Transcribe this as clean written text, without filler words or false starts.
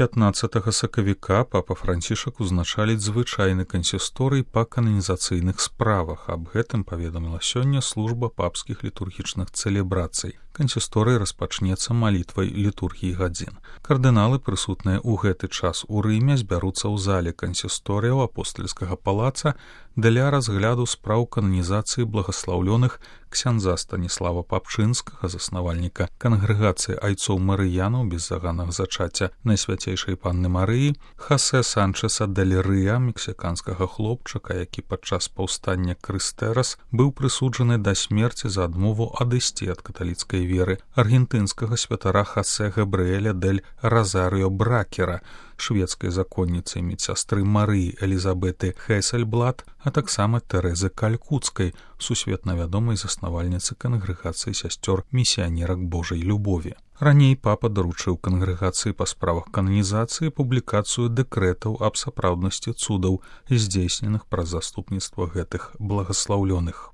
15 сакавіка папа Францішак узначаліць звычайны кансісторый па кананізацыйных справах. Аб гэтым паведаміла сёння служба папскіх літургічных цэлебрацый. Кансісторый распачнецца малітвай літургіі гадзін. Кардыналы, прысутныя ў гэты час у Рыме, збяруцца ў зале кансісторыяў апостальскага палаца для разгляду спраў кананізацыі благаслаўлёных ксяндза Станіслава Папчынскага, заснавальніка кангрэгацыі айцоў марыянаў без заганага зачацця Найсвяцейшай Панны Марыі, Хасе Санчеса дель Рыа, мексіканскага хлопчыка, які падчас паўстання Крыстэрас быў прысуджаны да смерці за адмову адысці ад каталіцкай веры, аргентынскага святара Хасе Габрыэля дель Розарыо Бракера, шведскай законніцы медсястры Марыі Элізабеты Хесельблат, а таксама Тэрэзы Калькуцкай, сусветна вядомай заснавальніцы кангрэгацыі сясцёр місіянерак Божай любові. Раней папа даручыў кангрэгацыі па справах кананізацыі публікацыю дэкрэтаў аб сапраўднасці цудаў, здзейсненых праз заступніцтва гэтых благаслаўлёных.